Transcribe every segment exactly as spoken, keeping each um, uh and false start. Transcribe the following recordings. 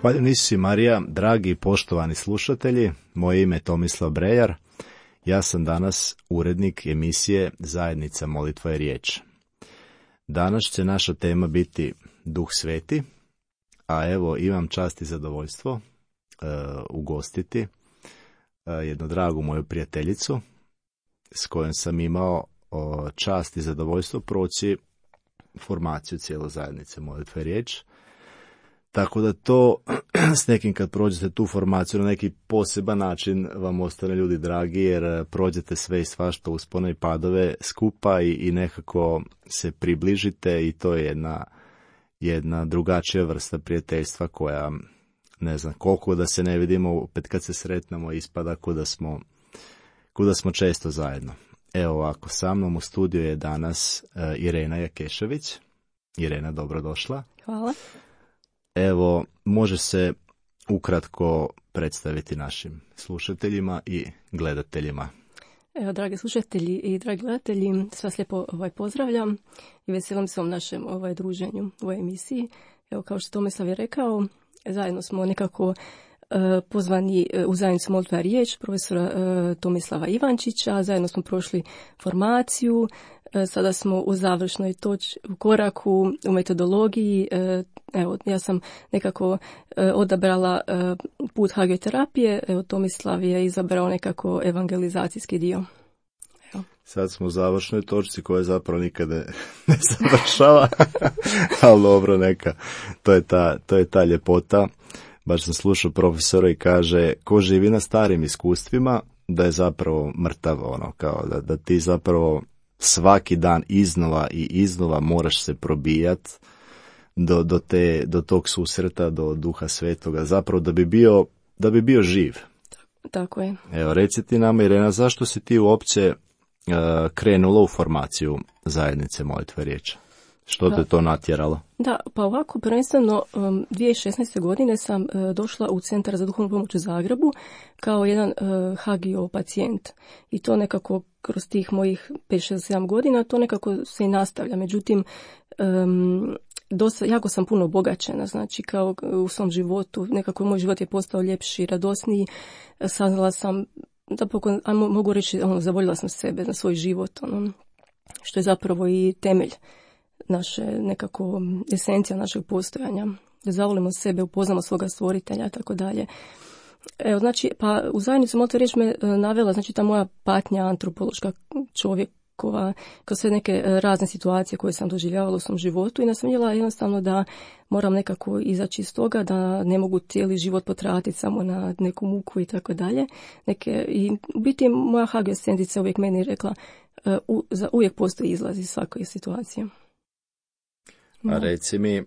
Hvala Isusi Marija, dragi i poštovani slušatelji, moje ime je Tomislav Brejar, ja sam danas urednik emisije Zajednica molitva i riječ. Danas će naša tema biti Duh Sveti, a evo imam čast i zadovoljstvo uh, ugostiti uh, jednu dragu moju prijateljicu s kojom sam imao uh, čast i zadovoljstvo proći formaciju cijelo Zajednice molitva i riječ. Tako da to s nekim kad prođete tu formaciju na neki poseban način vam ostane ljudi dragi jer prođete sve i svašta uspone i padove skupa i, i nekako se približite i to je jedna, jedna drugačija vrsta prijateljstva koja ne znam koliko da se ne vidimo, opet kad se sretnemo ispada kuda smo, kuda smo često zajedno. Evo ovako, sa mnom u studiju je danas uh, Irena Jakešević. Irena, dobrodošla. Hvala. Evo, može se ukratko predstaviti našim slušateljima i gledateljima. Evo, dragi slušatelji i dragi gledatelji, sve vas lijepo ovaj, pozdravljam i veselim se ovom našem ovaj, druženju u ovoj emisiji. Evo, kao što Tomislav je rekao, zajedno smo nekako uh, pozvani u Zajednicu molitva i riječ profesora uh, Tomislava Ivančića, zajedno smo prošli formaciju. Sada smo u završnoj toč, u koraku, u metodologiji. Evo, ja sam nekako odabrala put hagioterapije, evo Tomislav je izabrao nekako evangelizacijski dio. Evo. Sad smo u završnoj točci koja zapravo nikada ne završava, ali dobro neka. To je ta, to je ta ljepota. Baš sam slušao profesora i kaže, ko živi na starim iskustvima, da je zapravo mrtav, ono, kao da, da ti zapravo svaki dan iznova i iznova moraš se probijat do, do, te, do tog susreta, do Duha Svetoga, zapravo da bi bio, da bi bio živ. Tako je. Evo, reci ti nama, Irena, zašto si ti uopće uh, krenula u formaciju Zajednice molitve i riječi? Što te to natjeralo? Da, pa ovako, prvenstveno um, dvije tisuće šesnaeste. godine sam uh, došla u Centar za duhovnu pomoć u Zagrebu kao jedan uh, hagio pacijent. I to nekako kroz tih mojih pet šest sedam godina to nekako se i nastavlja. Međutim, um, dosta, jako sam puno obogaćena, znači kao u svom životu, nekako moj život je postao ljepši, radosniji. Saznala sam, da pokon, ajmo, mogu reći, ono, zavoljela sam sebe na svoj život, ono, što je zapravo i temelj naše nekako esencija našeg postojanja, da zavolimo sebe, upoznamo svoga stvoritelja i tako dalje. Evo, znači, pa u Zajednicu molitve i riječ me navela, znači ta moja patnja antropološka čovjekova, kroz sve neke razne situacije koje sam doživljavala u svom životu i nas sam vidjela jednostavno da moram nekako izaći iz toga, da ne mogu cijeli život potratiti samo na neku muku i tako dalje. Neke, i u biti moja hagiosendica uvijek meni rekla, u, za, uvijek postoji izlaz iz svake situacije. A reci mi,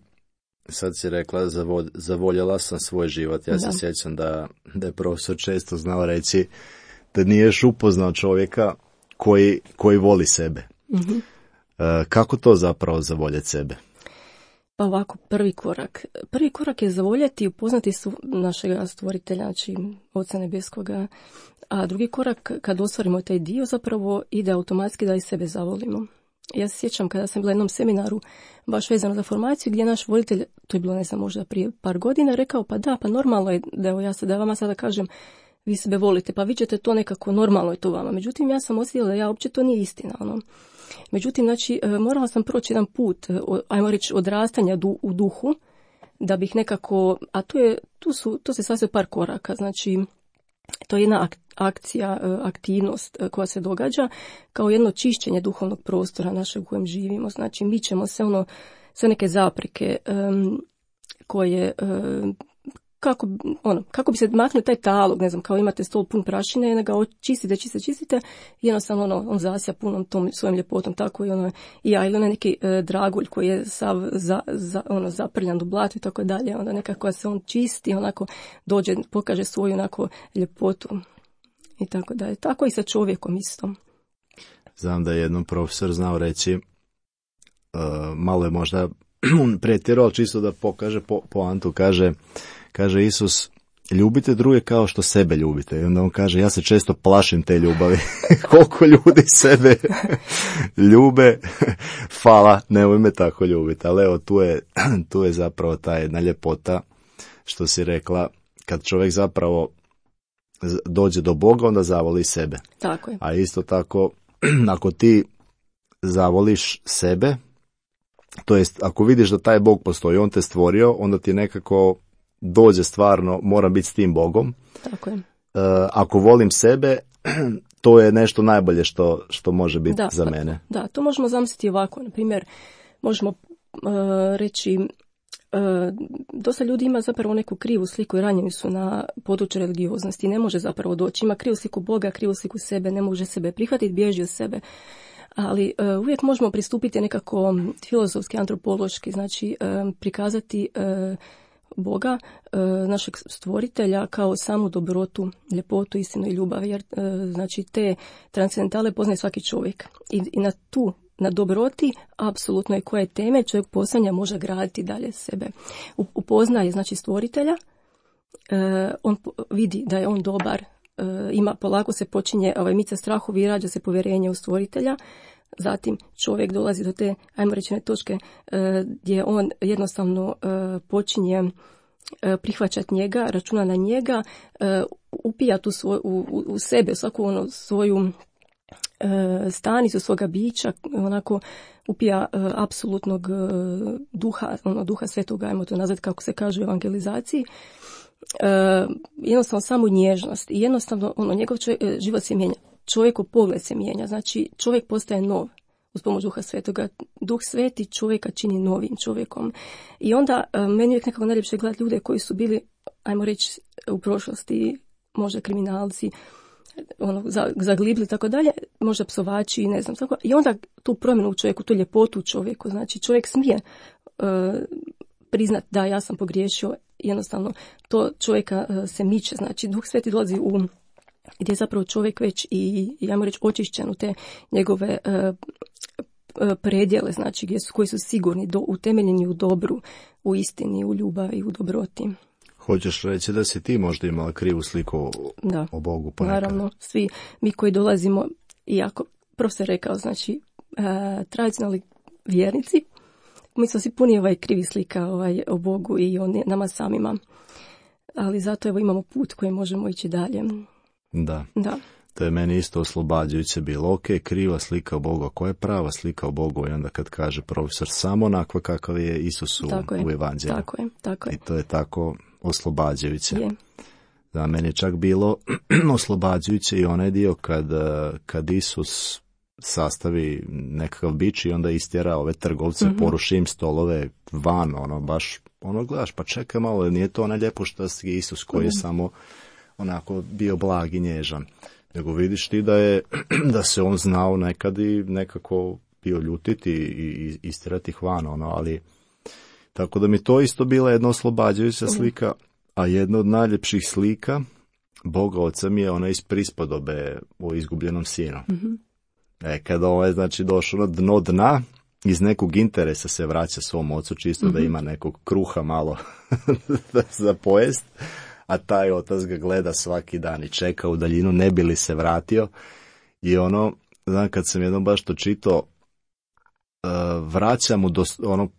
sad si rekla, zavod, zavoljela sam svoj život. Ja da. se sjećam da, da je profesor često znao reći da niješ upoznao čovjeka koji, koji voli sebe. Mm-hmm. E, kako to zapravo zavoljeti sebe? Pa ovako, prvi korak. Prvi korak je zavoljeti i upoznati su našega stvoritelja, znači Oca Nebeskoga. A drugi korak, kad ostvarimo taj dio, zapravo ide automatski da i sebe zavolimo. Ja se sjećam kada sam bila na jednom seminaru baš vezano za formaciju gdje je naš voditelj, to je bilo ne znam možda prije par godina, rekao pa da, pa normalno je da, evo, ja se, da vama sada kažem vi sebe volite, pa vi ćete to nekako, normalno je to vama. Međutim, ja sam osjetila da ja uopće to nije istina. Ono. Međutim, znači, morala sam proći jedan put, ajmo reći, odrastanja du, u duhu, da bih nekako, a tu, je, tu, su, tu se sastoji par koraka, znači to je jedna akcija, aktivnost koja se događa kao jedno čišćenje duhovnog prostora našeg u kojem živimo. Znači, mi ćemo se ono, sve neke zapreke um, koje, um, kako, ono, kako bi se maknuo taj talog, ne znam, kao imate stol pun prašine i ga čistite, čistite, čistite i jednostavno ono, on zasja punom tom svojim ljepotom, tako i ono, i ja, ili onaj neki e, dragulj koji je sav za, za, ono, zaprljan u blatu i tako dalje, onda nekako se on čisti, onako dođe, pokaže svoju onako ljepotu i tako dalje. Tako i sa čovjekom isto. Znam da je jednom profesor znao reći, uh, malo je možda pretjerao, ali čisto da pokaže po, poantu, kaže, kaže Isus, ljubite druge kao što sebe ljubite. I onda on kaže, ja se često plašim te ljubavi. Koliko ljudi sebe ljube, fala, nemoj me tako ljubiti. Ali evo, tu je, tu je zapravo ta jedna ljepota što si rekla, kad čovjek zapravo dođe do Boga, onda zavoli sebe. Tako je. A isto tako, ako ti zavoliš sebe, to jest ako vidiš da taj Bog postoji, on te stvorio, onda ti nekako dođe stvarno, moram biti s tim Bogom. Tako je. Uh, ako volim sebe, to je nešto najbolje što, što može biti da, za mene. Da, to možemo zamisliti ovako. Na primjer, možemo uh, reći, uh, dosta ljudi ima zapravo neku krivu sliku i ranjeni su na području religioznosti. Ne može zapravo doći. Ima krivu sliku Boga, krivu sliku sebe, ne može sebe prihvatiti, bježi od sebe. Ali uh, uvijek možemo pristupiti nekako filozofski, antropološki, znači uh, prikazati uh, Boga, našeg stvoritelja, kao samu dobrotu, ljepotu, istinu i ljubav, jer znači te transcendentale poznaje svaki čovjek. I, i na tu, na dobroti, apsolutno je koje teme čovjek posanja može graditi dalje sebe. Upoznaje znači stvoritelja, on vidi da je on dobar, ima, polako se počinje ovaj, mica strahovi i rađa se povjerenje u stvoritelja. Zatim čovjek dolazi do te, ajmo reći, točke gdje on jednostavno počinje prihvaćati njega, računa na njega, upija tu svoj, u, u sebe, svaku ono svoju stanicu svoga bića, onako upija apsolutnog duha, ono duha svetoga, ajmo to nazvati kako se kaže u evangelizaciji. Jednostavno samo nježnost i jednostavno ono, njegov čovjek, život se mijenja. Čovjekov pogled se mijenja, znači čovjek postaje nov uz pomoć Duha Svetoga. Duh Sveti čovjeka čini novim čovjekom. I onda meni uvijek nekako najljepše gledati ljude koji su bili, ajmo reći, u prošlosti, možda kriminalci, ono, zaglibli i tako dalje, možda psovači i ne znam tako. I onda tu promjenu u čovjeku, tu ljepotu u čovjeku, znači čovjek smije uh, priznati da ja sam pogriješio, jednostavno to čovjeka uh, se miče, znači Duh Sveti dolazi u gdje je zapravo čovjek već i, ajmo reći, očišćen u te njegove uh, predjele, znači gdje su, koji su sigurni, do, utemeljeni u dobru, u istini, u ljubavi, u dobroti. Hoćeš reći da si ti možda imala krivu sliku da, o Bogu ponekad? Naravno, svi mi koji dolazimo, iako profesor rekao, znači uh, tradicionalni vjernici, mi smo svi puni ovaj krivi slika ovaj, o Bogu i o nama samima. Ali zato evo imamo put koji možemo ići dalje. Da. Da. To je meni isto oslobađajuće bilo. Ok, kriva slika o Bogu, a koja je prava slika o Bogu? I onda kad kaže profesor, samo onakva kakav je Isus u, u evanđelju. Tako je, tako je. I to je tako oslobađajuće. Je. Da, meni je čak bilo oslobađajuće i onaj dio kad, kad Isus sastavi nekakav bič i onda istjera ove trgovce, mm-hmm. poruši im stolove van, ono, baš, ono, gledaš, pa čekaj malo, nije to ona ljepošta Isus koji je mm-hmm. samo onako bio blag i nježan. Nego vidiš ti da je, da se on znao nekad i nekako bio ljutiti i, i istirati ih van, ono, ali tako da mi to isto bila jedna oslobađajuća slika, a jedna od najljepših slika Boga Oca mi je ona iz prispodobe o izgubljenom sinu. Mm-hmm. E, kada ovo je, znači, došao na dno dna, iz nekog interesa se vraća svom ocu, čisto mm-hmm. da ima nekog kruha malo za pojest, a taj otac ga gleda svaki dan i čeka u daljinu, ne bi li se vratio. I ono, znam, kad sam jednom baš to čitao, uh, vraća mu, do, ono,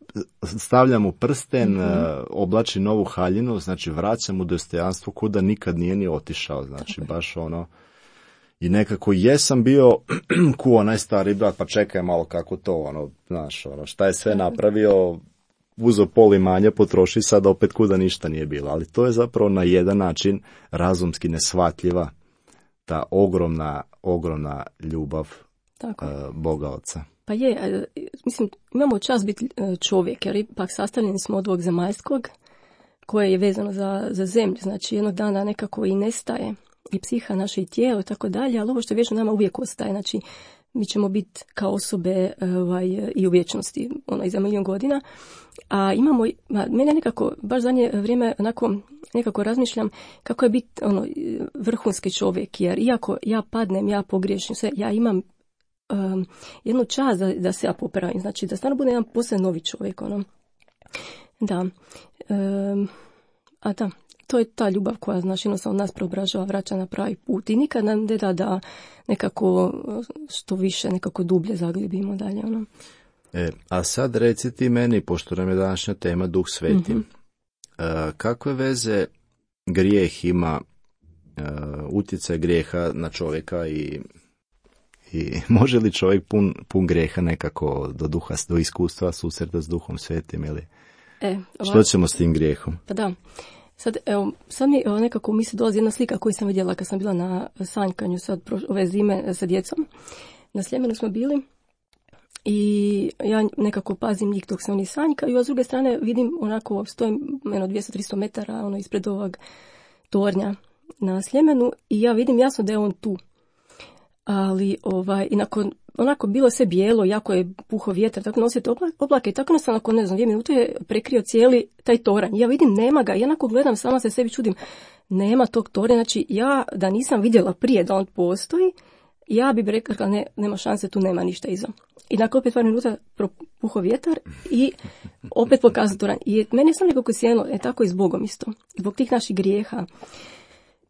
stavlja mu prsten, mm-hmm. uh, oblači novu haljinu, znači vraća mu dostojanstvo kuda nikad nije ni otišao, znači okay. baš ono, i nekako jesam bio ku onaj stari brat, pa čekaj malo kako to, ono, znaš, ono, šta je sve napravio, uzo pol imanja, potroši, sad opet kuda ništa nije bilo. Ali to je zapravo na jedan način razumski neshvatljiva ta ogromna, ogromna ljubav uh, Boga Oca. Pa je, mislim, imamo čast biti čovjek, jer ipak sastavljeni smo od ovog zemaljskog, koje je vezano za, za zemlju, znači jednog dana nekako i nestaje, i psiha naše i tijelo i tako dalje, ali ovo što je vječno nama uvijek ostaje, znači mi ćemo biti kao osobe ovaj, i u vječnosti, ono, i za milijon godina. A imamo, ma, mene nekako, baš zadnje vrijeme, onako, nekako razmišljam kako je biti ono, vrhunski čovjek, jer iako ja padnem, ja pogriješim sve, ja imam um, jednu čast da, da se ja popravim, znači da stvarno bude jedan posebno novi čovjek, ono. Da. Um, a da, to je ta ljubav koja, znači, jednostavno nas preobražava, vraća na pravi put i nikad nam ne da da nekako što više, nekako dublje zaglibimo dalje, ono. E, a sad reci ti meni, pošto nam je današnja tema Duh Sveti, mm-hmm. kakve veze grijeh ima, utjecaj grijeha na čovjeka i, i može li čovjek pun, pun grijeha nekako do duha, do iskustva susreta s Duhom Svetim ili e, što ćemo s tim grijehom? Pa da, sad, evo, sad mi evo, nekako mi se dolazi jedna slika koju sam vidjela kad sam bila na sanjkanju sad ove zime sa djecom. Na Sljemenu smo bili i ja nekako pazim njih dok se oni sanjkaju, a s druge strane vidim onako stojim jedno dvjesto do tristo metara ono ispred ovog tornja na Sljemenu i ja vidim jasno da je on tu. Ali ovaj, i nakon, onako bilo sve bijelo, jako je puho vjetar, tako nosite oblake i tako nas nakon, ne znam, dvije minute je prekrio cijeli taj toranj. Ja vidim, nema ga, ja onako gledam, sama se sebi čudim, nema tog tornja, znači ja da nisam vidjela prije da on postoji, ja bi rekla, ne, nema šanse, tu nema ništa iza. I nakon opet par minuta puho vjetar i opet pokazao toranj. I meni je sam nekako sjeno, je tako i s Bogom isto, zbog tih naših grijeha.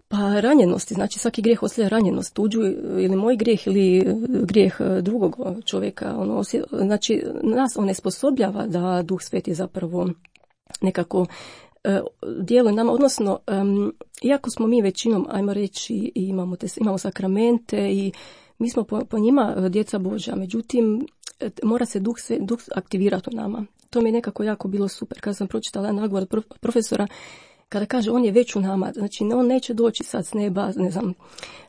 Pa ranjenosti, znači svaki grijeh ostavlja ranjenost, tuđu ili moj grijeh ili grijeh drugog čovjeka. Ono, znači nas on nesposobljava da Duh Sveti zapravo nekako uh, djeluje nama, odnosno um, iako smo mi većinom, ajmo reći, i imamo, te, imamo sakramente i mi smo po, po njima djeca Božja, međutim mora se Duh, duh aktivirati u nama. To mi je nekako jako bilo super. Kada sam pročitala nagovor prof, profesora, kada kaže on je već u nama, znači on neće doći sad s neba, ne znam,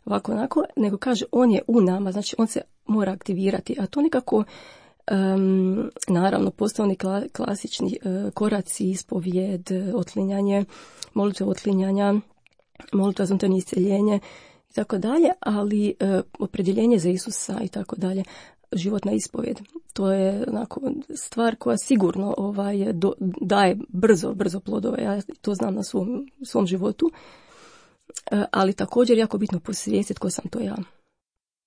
ovako onako, nego kaže on je u nama, znači on se mora aktivirati. A to nekako, um, naravno, postavni kla, klasični uh, koraci, ispovijed, otlinjanje, molitva otlinjanja, molitva za unutarnje isceljenje i tako dalje, ali uh, opredjeljenje za Isusa i tako dalje. Životna ispovjed. To je onako stvar koja sigurno ovaj, do, daje brzo, brzo plodove. Ja to znam na svom, svom životu. E, ali također jako bitno posvijestiti tko sam to ja.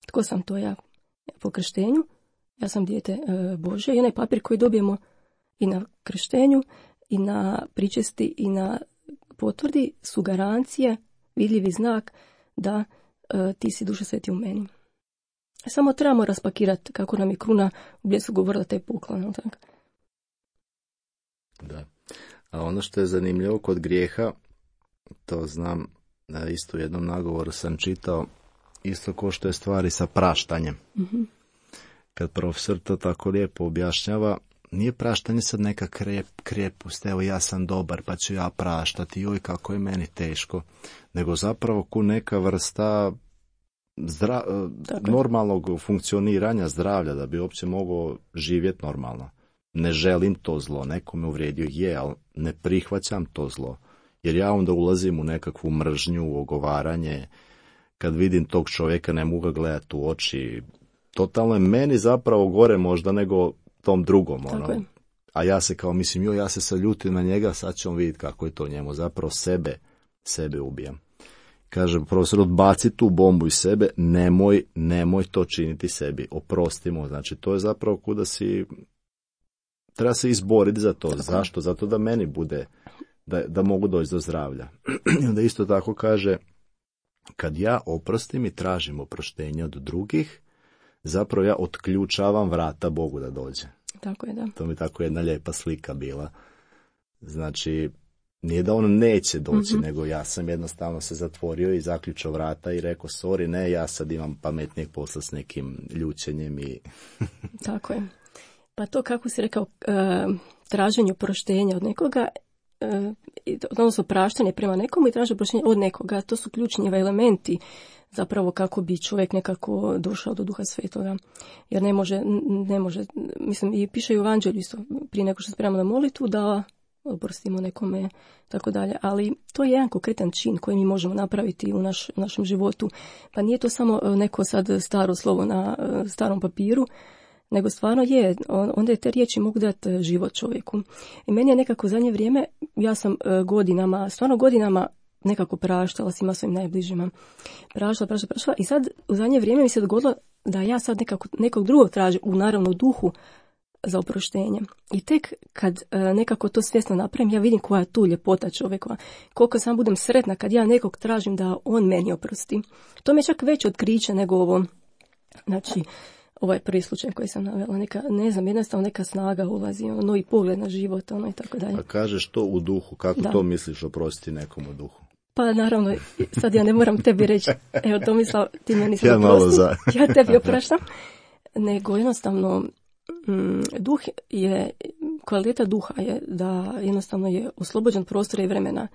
Tko sam to ja po krštenju. Ja sam dijete e, Bože. I onaj papir koji dobijemo i na krštenju, i na pričesti, i na potvrdi su garancije, vidljivi znak da e, ti si Duša Sveti u meni. Samo trebamo raspakirati kako nam je kruna u Bljesku govorila taj poklon. Tak? Da. A ono što je zanimljivo kod grijeha, to znam, da isto u jednom nagovoru sam čitao, isto ko što je stvari sa praštanjem. Mm-hmm. Kad profesor to tako lijepo objašnjava, nije praštanje sad neka krep, krepust, evo ja sam dobar pa ću ja praštati, joj kako je meni teško, nego zapravo ku neka vrsta Zdra, normalnog funkcioniranja zdravlja, da bi uopće mogao živjeti normalno. Ne želim to zlo, neko me uvrijedio, je, ali ne prihvaćam to zlo. Jer ja onda ulazim u nekakvu mržnju, ogovaranje, kad vidim tog čovjeka ne mogu ga gledati u oči. Totalno je meni zapravo gore možda nego tom drugom. Ono. A ja se kao mislim, jo, ja se sad ljutim na njega, sad ćemo vidjeti kako je to njemu. Zapravo sebe, sebe ubijam. Kaže profesor, odbaci tu bombu iz sebe, nemoj, nemoj to činiti sebi, oprostimo. Znači, to je zapravo kuda si, treba se izboriti za to. Zašto? Zato da meni bude, da, da mogu doći do zdravlja. I onda isto tako kaže, kad ja oprostim i tražim oproštenje od drugih, zapravo ja otključavam vrata Bogu da dođe. Tako je, da. To mi tako jedna lijepa slika bila. Znači, nije da on neće doći, mm-hmm. nego ja sam jednostavno se zatvorio i zaključao vrata i rekao, sorry, ne, ja sad imam pametnijeg posla s nekim ljučenjem i... Tako je. Pa to kako si rekao, uh, traženje oproštenja od nekoga, uh, odnosno praštanje prema nekomu i traženje oproštenja od nekoga, to su ključni elementi zapravo kako bi čovjek nekako došao do Duha Svetoga. Jer ne može, ne može, mislim, i piše u Evanđelju isto, prije nego što spremamo na molitvu, da oprostimo nekome, tako dalje. Ali to je jedan konkretan čin koji mi možemo napraviti u naš, našem životu. Pa nije to samo neko sad staro slovo na starom papiru, nego stvarno je, onda je te riječi mogu dati život čovjeku. I meni je nekako u zadnje vrijeme, ja sam godinama, stvarno godinama nekako praštala svima svojim najbližima. Praštala, praštala, praštala. I sad u zadnje vrijeme mi se dogodilo da ja sad nekako, nekog drugog tražim, u naravno duhu, za oproštenje. I tek kad e, nekako to svjesno napravim, ja vidim koja je tu ljepota čovjekova. Koliko sam budem sretna kad ja nekog tražim da on meni oprosti. To mi je čak veće otkriće nego ovo. Znači, ovaj prvi slučaj koji sam navela, neka, ne znam, jednostavno neka snaga ulazi, ono, novi pogled na život, ono i tako dalje. A kažeš to u duhu, kako da. To misliš oprostiti nekom u duhu? Pa naravno, sad ja ne moram tebi reći, evo Tomislav, ti meni sad ja oprosti, za... ja tebi opraštam, nego jednostavno mm, duh je, kvaliteta duha je da jednostavno je oslobođen prostora i vremena.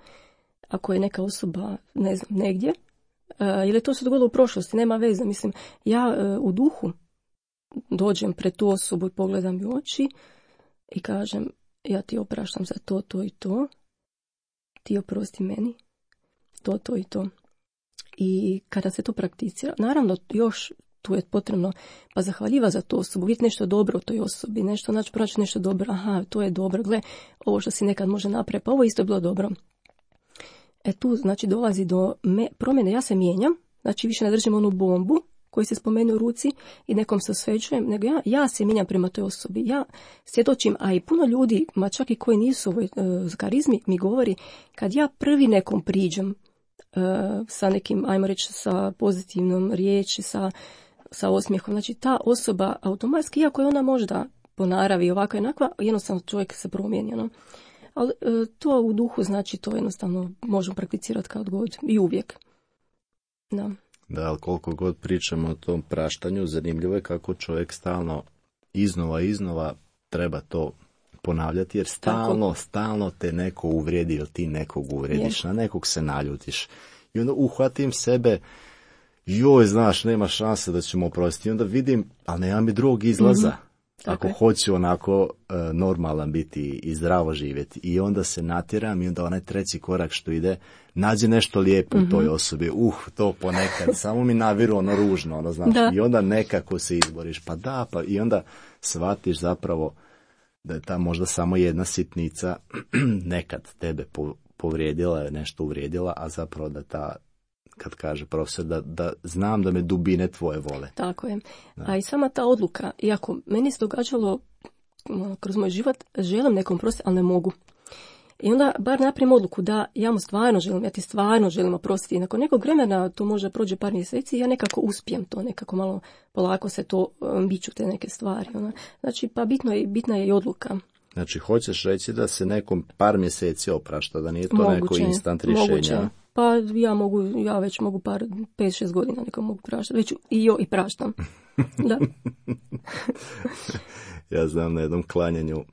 Ako je neka osoba, ne znam, negdje, uh, ili to se dogodilo u prošlosti, nema veze, mislim, ja uh, u duhu dođem pred tu osobu i pogledam u oči i kažem, ja ti opraštam za to, to i to, ti oprosti meni, to, to i to. I kada se to prakticira, naravno još tu je potrebno pa zahvaljiva za tu osobu, vidjeti nešto dobro u toj osobi, nešto, znači pronaći nešto dobro, aha, to je dobro, gle, ovo što si nekad može napraviti, pa ovo isto je bilo dobro. E tu, znači, dolazi do me, promjene, ja se mijenjam, znači više ne držim onu bombu koju se spomenu u ruci i nekom se osvećujem, nego ja, ja se mijenjam prema toj osobi, ja svjedočim, a i puno ljudi, ma čak i koji nisu u ovoj uh, karizmi, mi govori, kad ja prvi nekom priđem uh, sa nekim, ajmo reći, sa pozitivnom riječi, sa, sa osmijehom, znači ta osoba automatski, iako je ona možda po naravi ovakva i onakva, jednostavno čovjek se promijeni, ono. Ali uh, to u duhu, znači, to jednostavno možemo prakticirati kad god i uvijek. Da. Da, ali koliko god pričamo o tom praštanju, zanimljivo je kako čovjek stalno iznova iznova treba to ponavljati, jer stalno, Tako. stalno te neko uvrijedi ili ti nekog uvrediš, je. Na nekog se naljutiš. I onda uhvatim sebe, joj, znaš, nema šanse da ćemo oprostiti. I onda vidim, ali nema mi drugog izlaza. Mm-hmm. Ako hoću onako e, normalan biti i zdravo živjeti. I onda se natjeram i onda onaj treći korak što ide, nađe nešto lijepo mm-hmm. u toj osobi. Uh, to ponekad, samo mi naviru ono ružno, ono, znaš. Da. I onda nekako se izboriš. Pa da, pa i onda shvatiš zapravo da je ta možda samo jedna sitnica nekad tebe povrijedila, nešto uvrijedila, a zapravo da ta, kad kaže profesor, da, da znam da me dubine tvoje vole. Tako je. Da. A i sama ta odluka, iako meni se događalo kroz moj život, želim nekom prostiti, ali ne mogu. I onda bar napravim odluku da ja mu stvarno želim, ja ti stvarno želim oprostiti. I nakon nekog vremena, to možda prođe par mjeseci, ja nekako uspijem to, nekako malo polako se to biću te neke stvari. Ona. Znači, pa bitno je, bitna je i odluka. Znači, hoćeš reći da se nekom par mjeseci oprašta, da nije to moguće, neko instant rješenja? Moguće. Pa ja mogu, ja već mogu par, pet šest godina nekom mogu praštati, već i jo i praštam. Da. Ja znam na jednom klanjanju,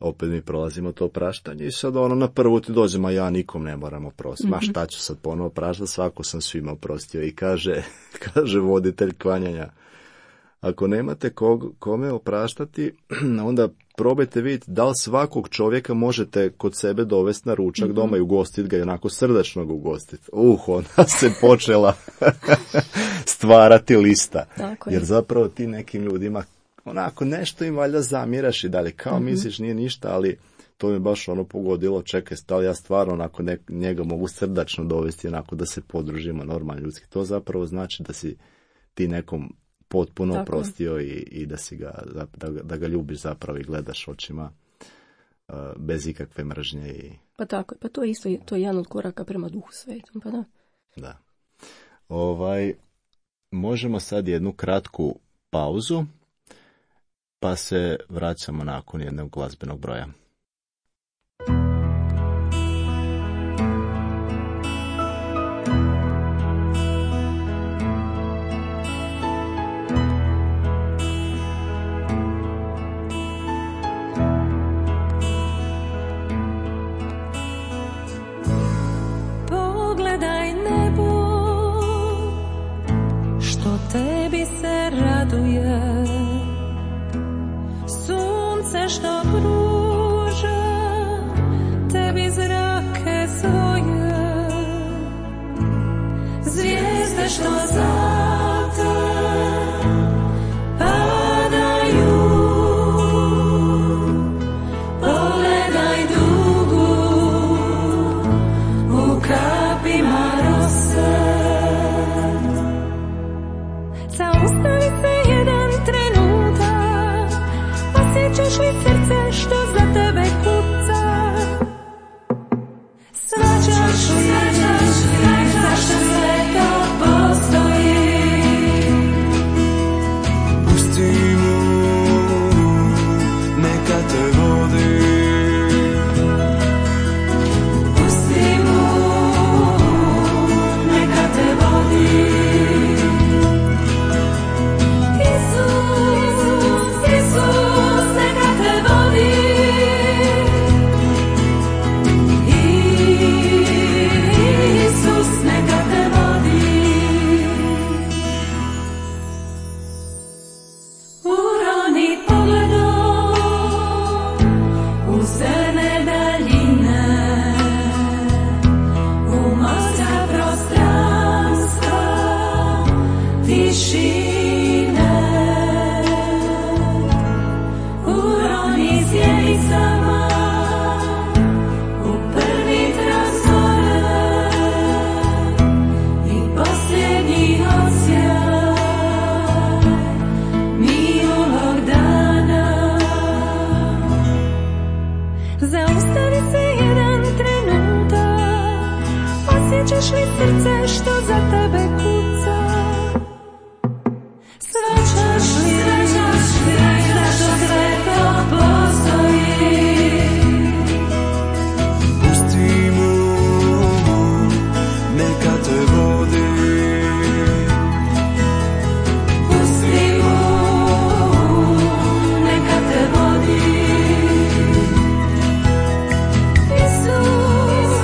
opet mi prolazimo to praštanje i sad ono na prvu ti dođemo, a ja nikom ne moram oprostiti. Mm-hmm. Ma šta ću sad ponovo praštati, svako sam svima oprostio. I kaže, kaže voditelj klanjanja, ako nemate kog, kome opraštati, onda probajte vidjeti da li svakog čovjeka možete kod sebe dovesti na ručak mm-hmm. doma i ugostiti ga i onako srdačno ga ugostiti. Uh, onda se počela stvarati lista. Jer zapravo ti nekim ljudima onako nešto im valjda zamiraš i dalje. Kao mm-hmm. misliš nije ništa, ali to mi baš ono pogodilo, čekaj, stali ja stvarno onako ne, njega mogu srdačno dovesti onako da se podružimo normalno ljudski. To zapravo znači da si ti nekom potpuno oprostio i, i da si ga, da, da ga ljubiš zapravo i gledaš očima uh, bez ikakve mržnje. I... Pa tako, pa to je isto, to je jedan od koraka prema Duhu Svetom, pa da. Da. Ovaj, možemo sad jednu kratku pauzu, pa se vraćamo nakon jednog glazbenog broja. Tebi se raduje, sunce što pruža tebi zrake svoje, zvijezde što za te padaju, pogledaj dugu u kapima rose. Zaustavi se jedan trenutak, osjećaš li srce što za tebe kuca? Svačaš li zašto sve to postoji? Osjećaš li srce što za tebe kuca? Svaćaš li, zašto sve to postoji? Pusti mu, neka te vodi. Pusti mu, neka te vodi. Isus,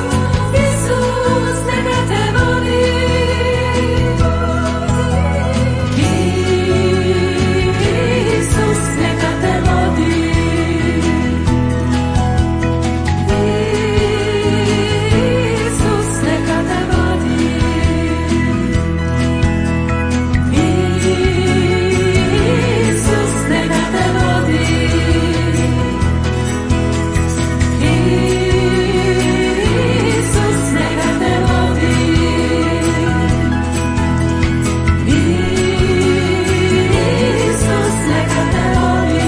Isus, neka te vodi. Isus, neka te vodi. Isus, neka te vodi. Isus, neka te vodi. Isus, neka te vodi. Isus, neka te vodi.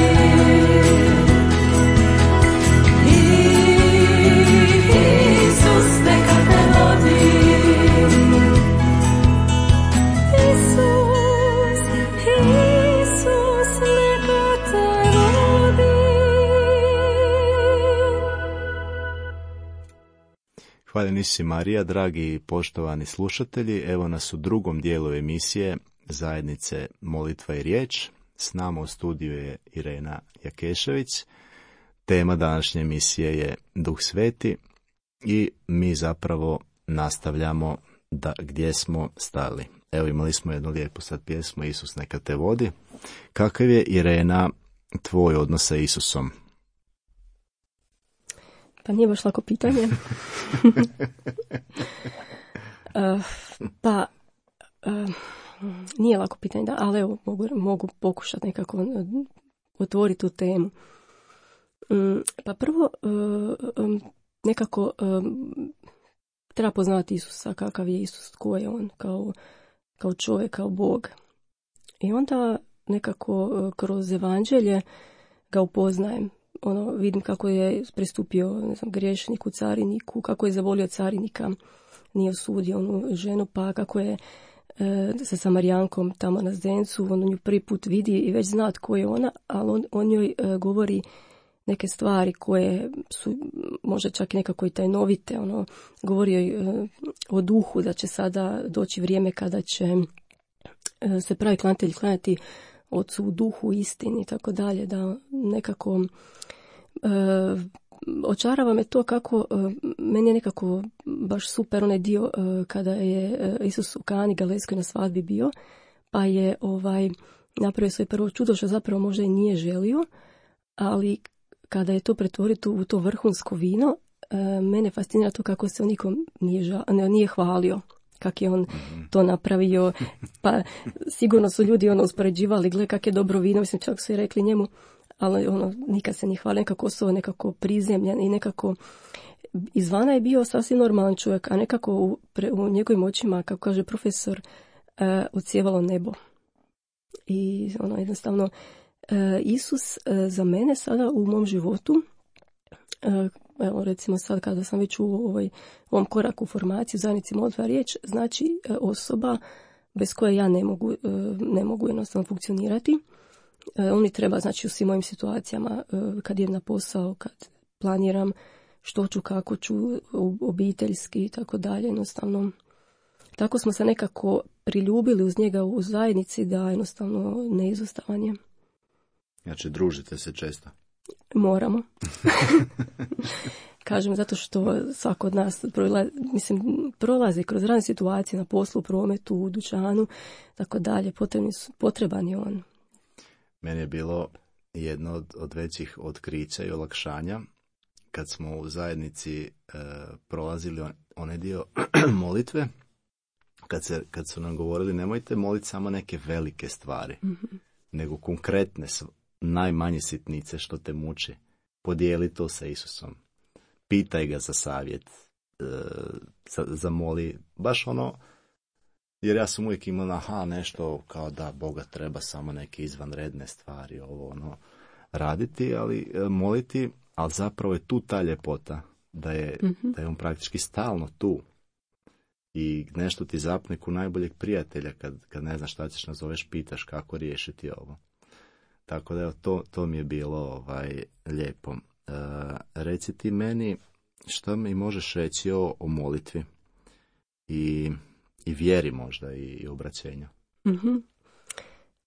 Isus, neka te vodi. Isus, Isus, neka te vodi. Hvaljeni si Marija, dragi i poštovani slušatelji, evo nas u drugom dijelu emisije Zajednice Molitva i riječ. S nama u studiju je Irena Jakešević. Tema današnje emisije je Duh Sveti i mi zapravo nastavljamo da gdje smo stali. Evo imali smo jednu lijepu sad pjesmu Isus neka te vodi. Kakav je, Irena, tvoj odnos sa Isusom? Pa nije baš lako pitanje. Uh, pa, uh, nije lako pitanje, da, ali evo, mogu, mogu pokušati nekako uh, otvoriti tu temu. Um, pa prvo, uh, um, nekako um, treba poznati Isusa, kakav je Isus, tko je on, kao, kao čovjek, kao Bog. I onda nekako uh, kroz evanđelje ga upoznajem. Ono, vidim kako je pristupio, ne znam, griješniku, cariniku, kako je zavolio carinika, nije osudio onu ženu, pa kako je e, sa Samarijankom tamo na zdencu, on nju prvi put vidi i već zna tko je ona, ali on, on njoj e, govori neke stvari koje su možda čak i nekako i tajnovite, ono, govori joj e, o duhu, da će sada doći vrijeme kada će e, se pravi klanjatelji klanjati Otcu u duhu, istini i tako dalje, da nekako e, očarava me to kako, e, meni je nekako baš super onaj dio e, kada je e, Isus u Kani Galilejskoj na svadbi bio, pa je ovaj napravio svoje prvo čudo, što zapravo možda i nije želio, ali kada je to pretvorio u to vrhunsko vino, e, mene fascinira to kako se on nikom nije, ža, ne, nije hvalio. Kak je on to napravio, pa sigurno su ljudi ono uspoređivali, gle kak je dobro vino, mislim čak su i rekli njemu, ali ono nikad se nije hvalio, nekako su nekako prizemljen i nekako izvana je bio sasvim normalan čovjek, a nekako u, pre, u njegovim očima, kako kaže profesor, uh, odsjevalo nebo. I ono jednostavno, uh, Isus uh, za mene sada u mom životu, uh, evo recimo sad kada sam već u ovoj, ovom koraku u formaciji u zajednici Molitva i riječ, znači osoba bez koje ja ne mogu, ne mogu jednostavno funkcionirati. On mi treba, znači, u svim mojim situacijama, kad idem na posao, kad planiram što ću, kako ću, obiteljski i tako dalje, jednostavno. Tako smo se nekako priljubili uz njega u zajednici da jednostavno neizostavan je. Znači, družite se često? Moramo. Kažem, zato što svako od nas prolazi, mislim, prolazi kroz razne situacije na poslu, u prometu, u dućanu, tako dalje, potreban je on. Meni je bilo jedno od, od većih otkrića i olakšanja kad smo u zajednici e, prolazili on, onaj dio molitve, kad, se, kad su nam govorili nemojte moliti samo neke velike stvari, mm-hmm. nego konkretne, najmanje sitnice što te muči. Podijeli to sa Isusom. Pitaj ga za savjet, e, za, zamoli, baš ono, jer ja sam uvijek imao, aha, nešto kao da Boga treba samo neke izvanredne stvari, ovo ono, raditi, ali e, moliti, ali zapravo je tu ta ljepota, da je, mm-hmm. da je on praktički stalno tu. i nešto ti zapne ku najboljeg prijatelja kad, kad ne znaš šta ćeš nazoveš, pitaš kako riješiti ovo. Tako da evo, to, to mi je bilo ovaj, lijepo. E, reci ti meni što mi možeš reći o, o molitvi i, i vjeri možda i, i obraćenju. Mm-hmm.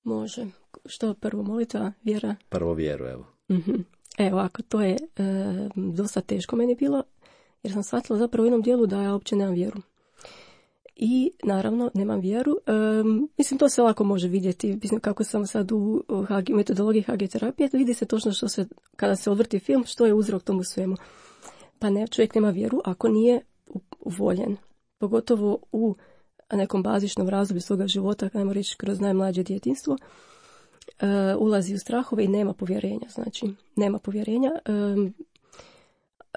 Može. Što prvo, molitva, vjera? Prvo vjeru, evo. Mm-hmm. Evo, ako to je e, dosta teško meni bilo, jer sam shvatila zapravo u jednom dijelu da ja uopće nemam vjeru. I naravno nemam vjeru. E, mislim, to se lako može vidjeti. Mislim, kako sam sad u, u metodologiji H G terapije, vidi se točno što se, kada se odvrti film, što je uzrok tomu svemu. Pa ne, čovjek nema vjeru ako nije voljen. Pogotovo u nekom bazičnom razdoblju svoga života, ajmo reći kroz najmlađe djetinjstvo, uh, ulazi u strahove i nema povjerenja. Znači, nema povjerenja um,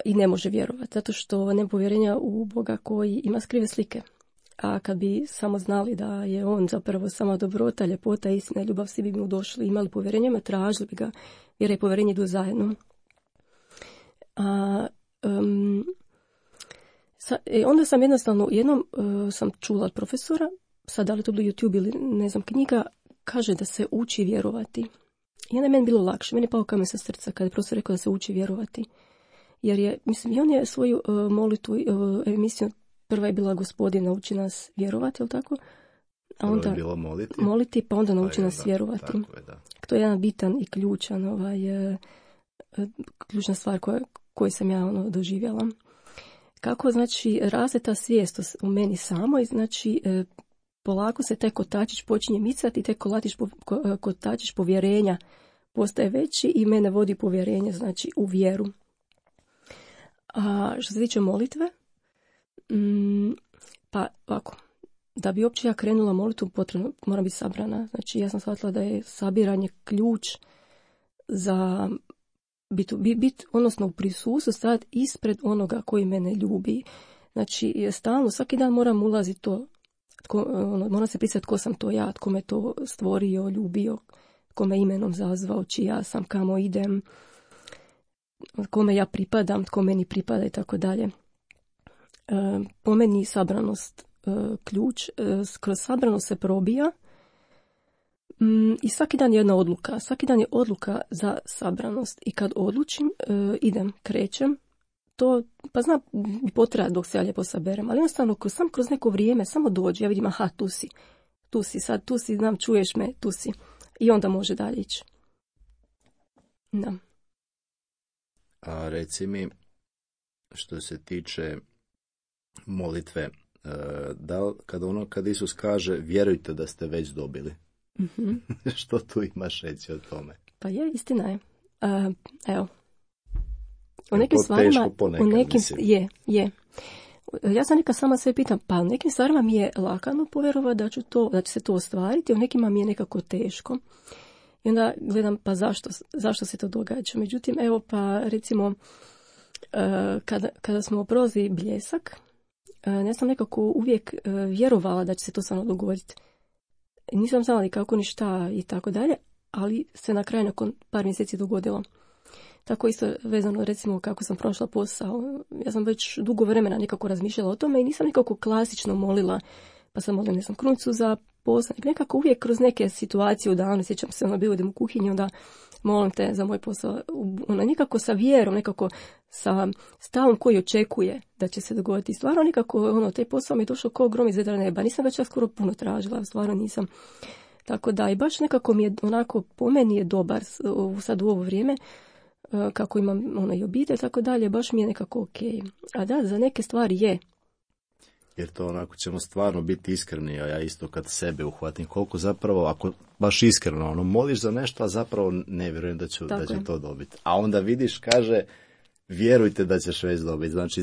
i ne može vjerovati. Zato što nema povjerenja u Boga koji ima skrive slike. A kad bi samo znali da je on zapravo sama dobrota, ljepota, istina i ljubav, svi bi mu došli, imali povjerenje, tražili bi ga, jer je povjerenje idu zajedno. A um, sa, e, onda sam jednostavno, jednom uh, sam čula od profesora, sad da li to bilo YouTube ili ne znam, knjiga, kaže da se uči vjerovati. I onda je meni bilo lakše, meni je pao kamen sa srca kada je profesor rekao da se uči vjerovati. Jer je, mislim, i on je svoju uh, molitvu, uh, emisiju, prva je bila Gospodin nauči nas vjerovati, jel tako? A onda je bilo moliti. moliti, pa onda nauči pa nas da, vjerovati. Tako je, da. To je jedan bitan i ključan, ovaj, uh, ključna stvar koja, koju sam ja ono, doživjela. Kako, znači, raste ta svijest u meni samoj, znači, uh, polako se taj kotačić počinje micati i taj kolatić, ko, kotačić povjerenja postaje veći i mene vodi povjerenje, znači, u vjeru. A što se tiče molitve, mm, pa ovako, da bi uopće ja krenula molitvu, potrebno mora biti sabrana. Znači, ja sam shvatila da je sabiranje ključ za bit, bit, bit odnosno u prisustvu stajati ispred onoga koji mene ljubi. Znači, stalno, svaki dan moram ulaziti to, tko, ono, moram se prisjetiti tko sam to ja, tko me to stvorio, ljubio, tko me imenom zazvao, čija sam, kamo idem, kome ja pripadam, tko meni pripada i tako dalje. Po meni sabranost e, ključ, e, kroz sabranost se probija mm, i svaki dan je jedna odluka. Svaki dan je odluka za sabranost i kad odlučim, e, idem, krećem, to, pa znam, potraja dok se ja lijepo saberem, ali jednostavno kroz, sam kroz neko vrijeme samo dođe, ja vidim, aha, tu si, tu si, sad tu si, znam, čuješ me, tu si. I onda može dalje ići. Da. A reci mi, što se tiče molitve, da li, kada ono, kad Isus kaže vjerujte da ste već dobili, mm-hmm. što tu imaš reći o tome? Pa je, istina je. Uh, evo. U nekim to stvarima, teško ponekad, u nekim, mislim. je, je. Ja sam neka sama sve pitam, pa u nekim stvarima mi je lakano povjerovati da ću to, da će se to ostvariti, u nekima mi je nekako teško. I onda gledam, pa zašto, zašto se to događa. Međutim, evo pa recimo, uh, kada, kada smo prolazili Bljesak, uh, ja sam nekako uvijek uh, vjerovala da će se to samo dogoditi. Nisam znala ni kako, ni šta i tako dalje, ali se na kraju nakon par mjeseci dogodilo. Tako isto vezano, recimo, kako sam prošla posao. Ja sam već dugo vremena nekako razmišljala o tome i nisam nekako klasično molila, pa sam molila, ne znam, krunicu za posao. Nekako uvijek kroz neke situacije u danu, sjećam se, ono bilo idem u kuhinju, onda molim te za moj posao. Ono, nekako sa vjerom, nekako sa stavom koji očekuje da će se dogoditi. Stvarno nekako, ono, taj posao mi je došao kao grom iz vedra neba. Nisam ga čak skoro puno tražila, stvarno nisam. Tako da, i baš nekako mi je onako, po meni je dobar sad u ovo vrijeme, kako imam ono i obitelj, tako dalje, baš mi je nekako ok. A da, za neke stvari je. Jer to onako ćemo stvarno biti iskreni, a ja isto kad sebe uhvatim, koliko zapravo, ako baš iskreno, ono, moliš za nešto, a zapravo ne vjerujem da ću, da ću to dobiti. A onda vidiš, kaže, vjerujte da ćeš već dobiti, znači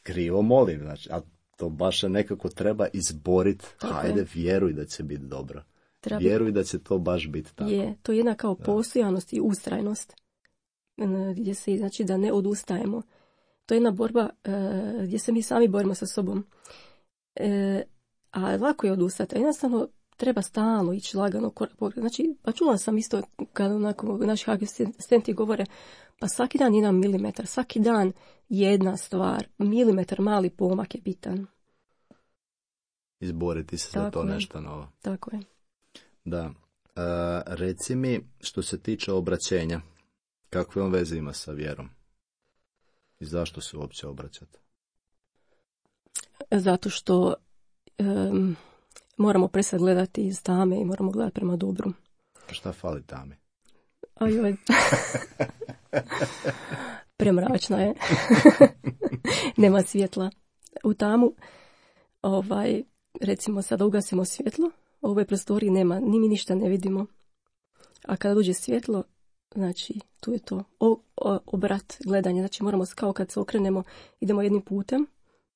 krivo molim, znači, a to baš nekako treba izboriti, hajde, je. Vjeruj da će biti dobro. Treba vjeruj da će to baš biti tako. Je, to je jedna kao postojanost i ustrajnost, gdje se, znači, da ne odustajemo. To je jedna borba uh, gdje se mi sami borimo sa sobom. E, a lako je odustati. Jednostavno treba stalno ići lagano korak po korak. Znači, pa čula sam isto kada onako naši asistenti govore, pa svaki dan jedan milimetar, svaki dan jedna stvar, milimetar mali pomak je bitan. izboriti se Tako za to je. nešto novo. Tako je. Da. A, reci mi, što se tiče obraćenja, kakve on veze ima sa vjerom? I zašto se uopće obraćate? Zato što um, moramo prestati gledati iz tame i moramo gledati prema dobru. Šta fali tami? Ajoj. Premračna je. Nema svjetla. U tamu, ovaj, recimo sada ugasimo svjetlo, u ovoj prostoriji nema, ni mi ništa ne vidimo. A kada dođe svjetlo, znači tu je to o, o, obrat gledanja. Znači moramo kao kad se okrenemo, idemo jednim putem,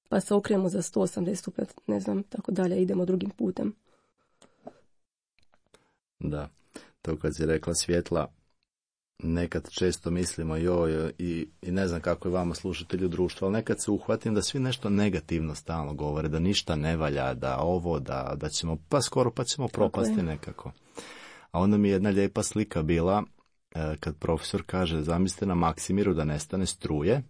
pa se okrenemo za sto osamdeset stupnjeva, ne znam, tako dalje, idemo drugim putem. Da, to kad si rekla svjetla, nekad često mislimo joj i, i ne znam kako je vama slušatelji u društvu, ali nekad se uhvatim da svi nešto negativno stalno govore, da ništa ne valja, da ovo, da, da ćemo, pa skoro pa ćemo propasti nekako. A onda mi je jedna lijepa slika bila, e, kad profesor kaže, zamislite na Maksimiru da nestane struje,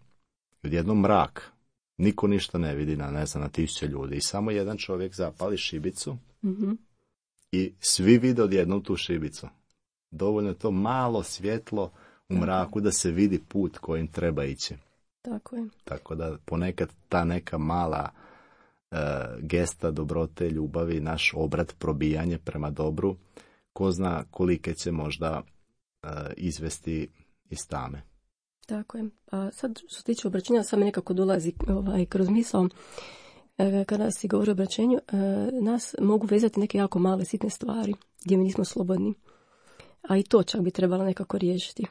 odjednom mrak, niko ništa ne vidi na, ne znam, na tisuće ljudi i samo jedan čovjek zapali šibicu Mm-hmm. i svi vide odjednom tu šibicu. Dovoljno je to malo svjetlo u mraku da se vidi put kojim treba ići. Tako je. Tako da ponekad ta neka mala e, gesta dobrote, ljubavi, naš obrat, probijanje prema dobru, ko zna kolike će možda e, izvesti iz tame. Tako je. A sad što se tiče obraćenja, sad mi nekako dolazi ovaj, kroz misao, e, kada si govori o obraćenju, e, nas mogu vezati neke jako male sitne stvari gdje mi nismo slobodni. A i to čak bi trebalo nekako riješiti.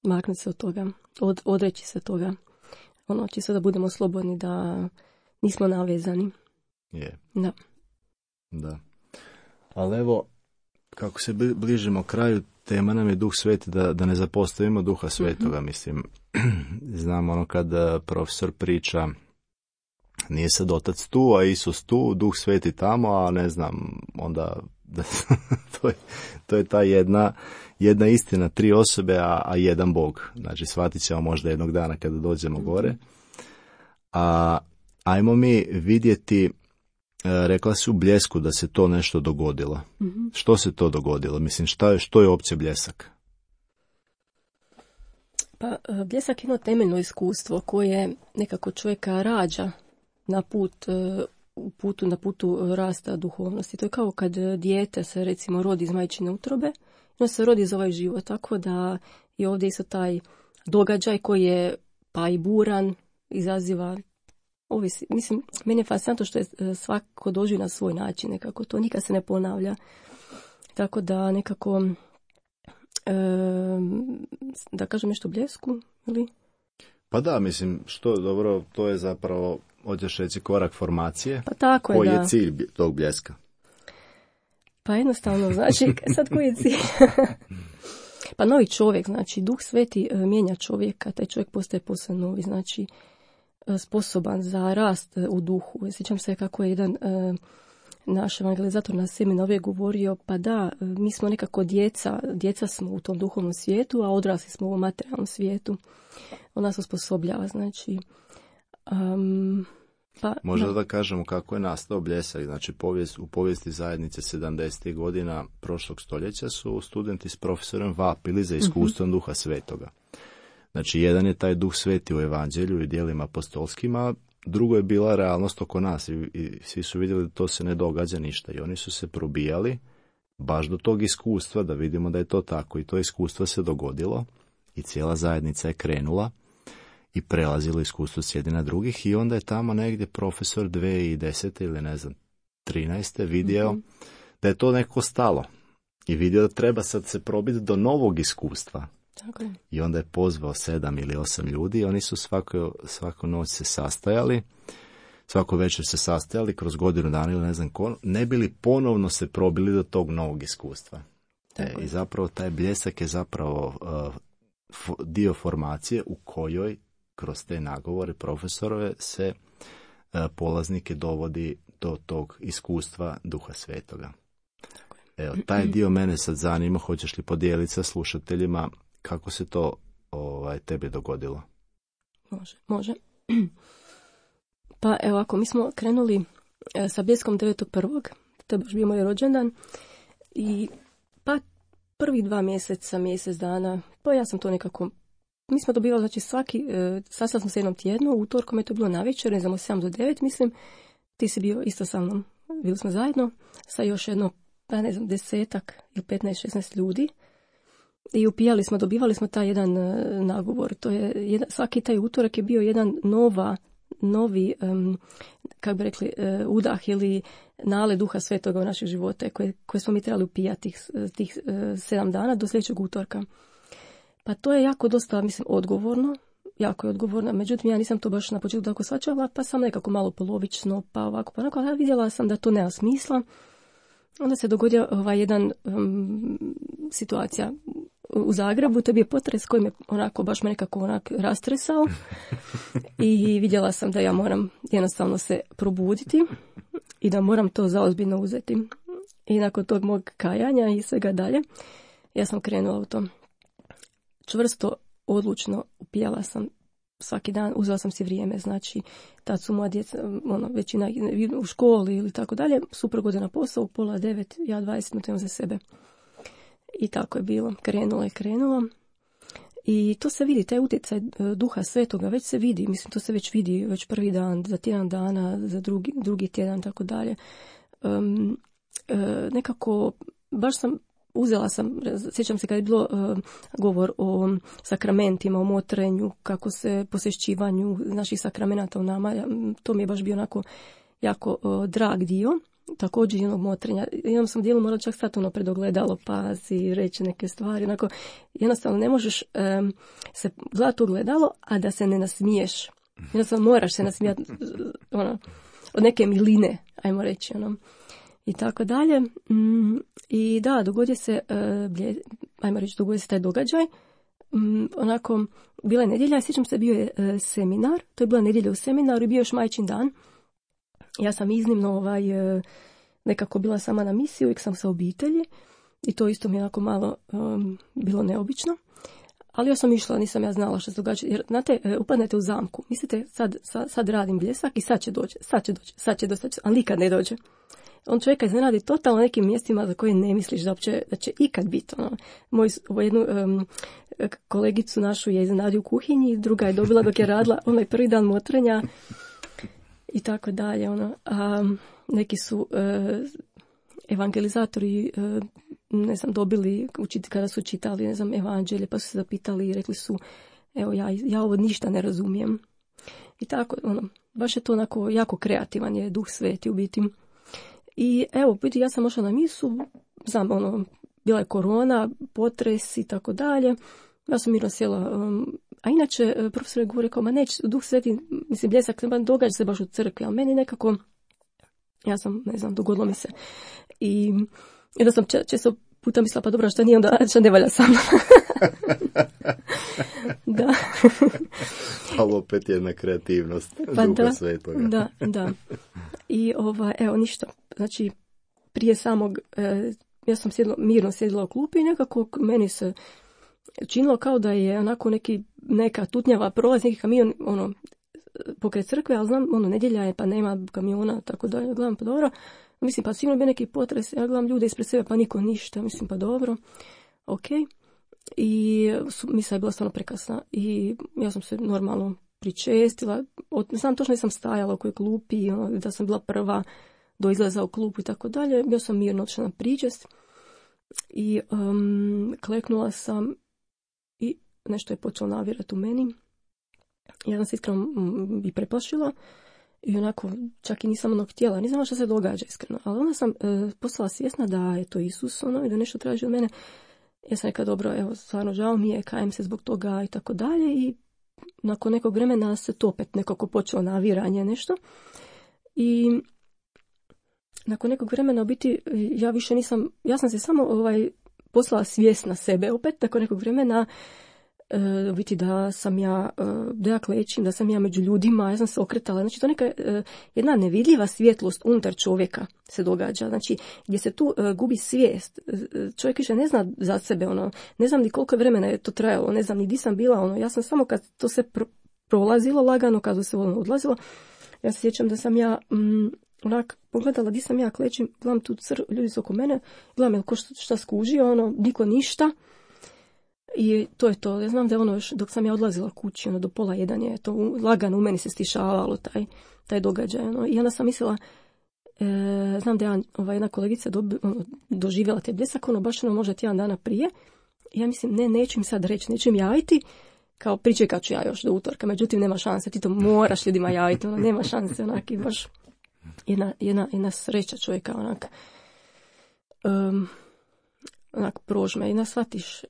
Maknuti se od toga, od, odreći se toga. Ono, čisto da budemo slobodni, da nismo navezani. Je. Da. Da. Ali evo, kako se bližimo kraju, tema nam je Duh Sveti, da, da ne zapostavimo Duha Svetoga, mm-hmm. mislim. Znam ono kad profesor priča, nije sad Otac tu, a Isus tu, Duh Sveti tamo, a ne znam, onda da, to, je, to je ta jedna, jedna istina, tri osobe, a, a jedan Bog. Znači, shvatit ćemo možda jednog dana kada dođemo gore. A ajmo mi vidjeti, rekla si u bljesku da se to nešto dogodilo. Mm-hmm. Što se to dogodilo? Mislim, šta je, što je opće bljesak? Pa, bljesak je jedno temeljno iskustvo koje nekako čovjeka rađa na put, u putu, na putu rasta duhovnosti. To je kao kad dijete se recimo rodi iz majčine utrobe, ono se rodi za ovaj život, tako da je ovdje isto taj događaj koji je pa i buran, izaziva ovisi. Mislim, meni je fascinantno što je svako doživi na svoj način, nekako to nikad se ne ponavlja. Tako da nekako e, da kažem nešto o bljesku, ili? Pa da, mislim, što je dobro, to je zapravo, hoćeš reći, korak formacije. Pa tako je, koji da. je cilj tog bljeska? Pa jednostavno, znači, sad koji je cilj? Pa novi čovjek, znači, Duh Sveti mijenja čovjeka, taj čovjek postaje posve novi, znači, sposoban za rast u duhu. Sjećam se kako je jedan e, naš evangelizator na seminariju govorio, pa da, mi smo nekako djeca, djeca smo u tom duhovnom svijetu, a odrasli smo u materijalnom svijetu. On nas osposobljava, znači... Um, pa, Možda da. da kažemo kako je nastao bljesak. Znači, povijest, u povijesti zajednice sedamdesetih godina prošlog stoljeća su studenti s profesorem vapili za iskustvom uh-huh. Duha Svetoga. Znači, jedan je taj Duh Sveti u evanđelju i djelima apostolskima, drugo je bila realnost oko nas i, i svi su vidjeli da to se ne događa ništa i oni su se probijali baš do tog iskustva da vidimo da je to tako i to iskustvo se dogodilo i cijela zajednica je krenula i prelazilo iskustvo s jedni na drugih i onda je tamo negdje profesor dvije tisuće desete ili ne znam trinaeste vidio mm-hmm. da je to neko stalo i vidio da treba sad se probiti do novog iskustva. Tako je. I onda je pozvao sedam ili osam ljudi i oni su svako, svako noć se sastajali, svako večer se sastajali kroz godinu dana ili ne znam ko, ne bili ponovno se probili do tog novog iskustva. E, I zapravo taj bljesak je zapravo uh, f- dio formacije u kojoj kroz te nagovore profesorove se uh, polaznike dovodi do tog iskustva Duha Svetoga. Tako je. Evo, taj dio mene sad zanima, hoćeš li podijeliti sa slušateljima kako se to ovaj, tebi dogodilo? Može, može. Pa evo, ako mi smo krenuli sa Bljeskom devetog prvog To je baš bio moj rođendan. I pa prvih dva mjeseca, mjesec dana, pa ja sam to nekako, mi smo dobivali, znači svaki, e, sastali smo se jednom tjednu, utorkom je to bilo navečer, ne znam, od sedam do devet, mislim, ti si bio isto sa mnom, bili smo zajedno, sa još jedno, pa ne znam, desetak ili petnaest, šesnaest ljudi. I upijali smo, dobivali smo taj jedan e, nagovor, to je, jedan, svaki taj utorak je bio jedan nova, novi, um, kako bi rekli, uh, udah ili nale duha svetoga u naših živote koje, koje smo mi trebali upijati tih, tih uh, sedam dana do sljedećeg utorka. Pa to je jako dosta, mislim, odgovorno, jako je odgovorno, međutim ja nisam to baš na početku tako shvaćala, pa sam nekako malo polovično, pa ovako, pa onako, ali vidjela sam da to nema smisla. Onda se dogodio ovaj jedan um, situacija u Zagrebu, to je bio potres koji me onako, baš me nekako onak rastresao i vidjela sam da ja moram jednostavno se probuditi i da moram to zaozbiljno uzeti. I nakon tog mog kajanja i svega dalje, ja sam krenula u to. Čvrsto, odlučno upijala sam svaki dan, uzela sam si vrijeme, znači tad su moja djeca, ono, većina u školi ili tako dalje, suprug ode na posao, u pola devet, ja dvadeset minuta imam za sebe. I tako je bilo, krenulo je krenulo. I to se vidi, taj utjecaj duha svetoga već se vidi, mislim to se već vidi već prvi dan, za tjedan dana, za drugi, drugi tjedan, tako dalje. Um, e, nekako, baš sam, uzela sam, sjećam se kad je bilo uh, govor o sakramentima, o motrenju, kako se posješćivanju naših sakramenata u nama, to mi je baš bio onako jako uh, drag dio. Također jednog motrenja. Jednom sam dijelu morala čak stati ono pred ogledalo, pa si reći neke stvari. Onako, jednostavno ne možeš um, se gledati u ogledalo, a da se ne nasmiješ. Jednostavno moraš se nasmijati ono, od neke miline, ajmo reći. Ono. I tako dalje. Mm, I da, dogodio se, uh, blje, ajmo reći, dogodio se taj događaj. Um, onako, bila je nedjelja, sjećam se, bio je uh, seminar. To je bila nedjelja u seminaru i bio još majčin dan. Ja sam iznimno ovaj, nekako bila sama na misiji, uvijek sam sa obitelji i to isto mi je onako malo um, bilo neobično. Ali ja sam išla, nisam ja znala što se događa. Jer, znate, upadnete u zamku. Mislite, sad, sad, sad radim Bljesak i sad će doći, sad će doći, sad će doći, ali nikad ne dođe. On čovjeka iznenadi totalno nekim mjestima za koje ne misliš da, uopće, da će ikad biti. Ono. Moju jednu um, kolegicu našu je iznenadio u kuhinji, druga je dobila dok je radila onaj prvi dan motrenja. I tako dalje, ono. A neki su e, evangelizatori, e, ne znam, dobili, učiti, kada su čitali, ne znam, evanđelje, pa su se zapitali i rekli su, evo, ja, ja ovo ništa ne razumijem. I tako, ono, baš je to onako jako kreativan je duh sveti u biti. I evo, biti, ja sam ošla na misu, znam, ono, bila je korona, potres i tako dalje. Ja sam mirno sjela, um, a inače, profesor je govorio kao, ma neće, duh sveti, mislim, Bljesak, događa se baš u crkvi, ali meni nekako, ja sam, ne znam, dogodilo mi se. I jedno sam če, često puta mislila, pa dobro, što nije onda, što ne valja sam. Da. Ali opet jedna kreativnost pa duha da, svetoga. Da, da. I ova, evo, ništa. Znači, prije samog, e, ja sam sjedla, mirno sjedila u klupi i nekako meni se činilo kao da je onako neki, neka tutnjava prolazi, neki kamion, ono, pokraj crkve, ali znam, ono, nedjelja je, pa nema kamiona, tako da ja gledam, pa dobro. Mislim, pa sigurno bi neki potres, ja gledam ljude ispred sebe, pa niko ništa, mislim, pa dobro, ok. I misa je bila stvarno prekasna i ja sam se normalno pričestila, od, znam točno da sam stajala u kojoj klupi, ono, da sam bila prva do izlaza u klupu i tako dalje, ja sam mirno odšla na pričest i um, kleknula sam i nešto je počelo navirati u meni. Ja sam se iskreno i preplašila i onako čak i nisam ono htjela, nisam što se događa iskreno, ali onda sam e, postala svjesna da je to Isus ono i da nešto traži od mene. Ja sam rekla, dobro, evo, stvarno žao mi je, kajem se zbog toga i tako dalje i nakon nekog vremena se to opet nekako počelo naviranje nešto i nakon nekog vremena u biti ja više nisam, ja sam se samo ovaj, poslala svjesna sebe opet, nakon nekog vremena u biti da sam ja, da ja klečim, da sam ja među ljudima, ja sam se okretala. Znači to neka jedna nevidljiva svjetlost unutar čovjeka se događa. Znači gdje se tu gubi svijest. Čovjek više ne zna za sebe, ono, ne znam ni koliko vremena je to trajalo, ne znam ni di sam bila, ono, ja sam samo kad to se pro, prolazilo lagano, kad se ono odlazilo, ja se sjećam da sam ja mm, onak pogledala di sam ja klećim, gledam tu cr, ljudi su oko mene, gledam je ko šta, šta skužio, ono, niko ništa. I to je to. Ja znam da je ono još, dok sam ja odlazila kući, ono, do pola jedan je to lagano u meni se stišavalo, taj, taj događaj. Ono. I onda sam mislila, e, znam da je ova jedna kolegica dobi, ono, doživjela te bljesak, ono, baš ono, možda tjedan dana prije. I ja mislim, ne, neću im sad reći, neću im javiti, kao pričekat ću ja još do utorka. Međutim, nema šanse, ti to moraš ljudima javiti, ono, nema šanse, onak, i baš jedna, jedna, jedna sreća čovjeka, onak, um, onak, prožme i nas shvatiš,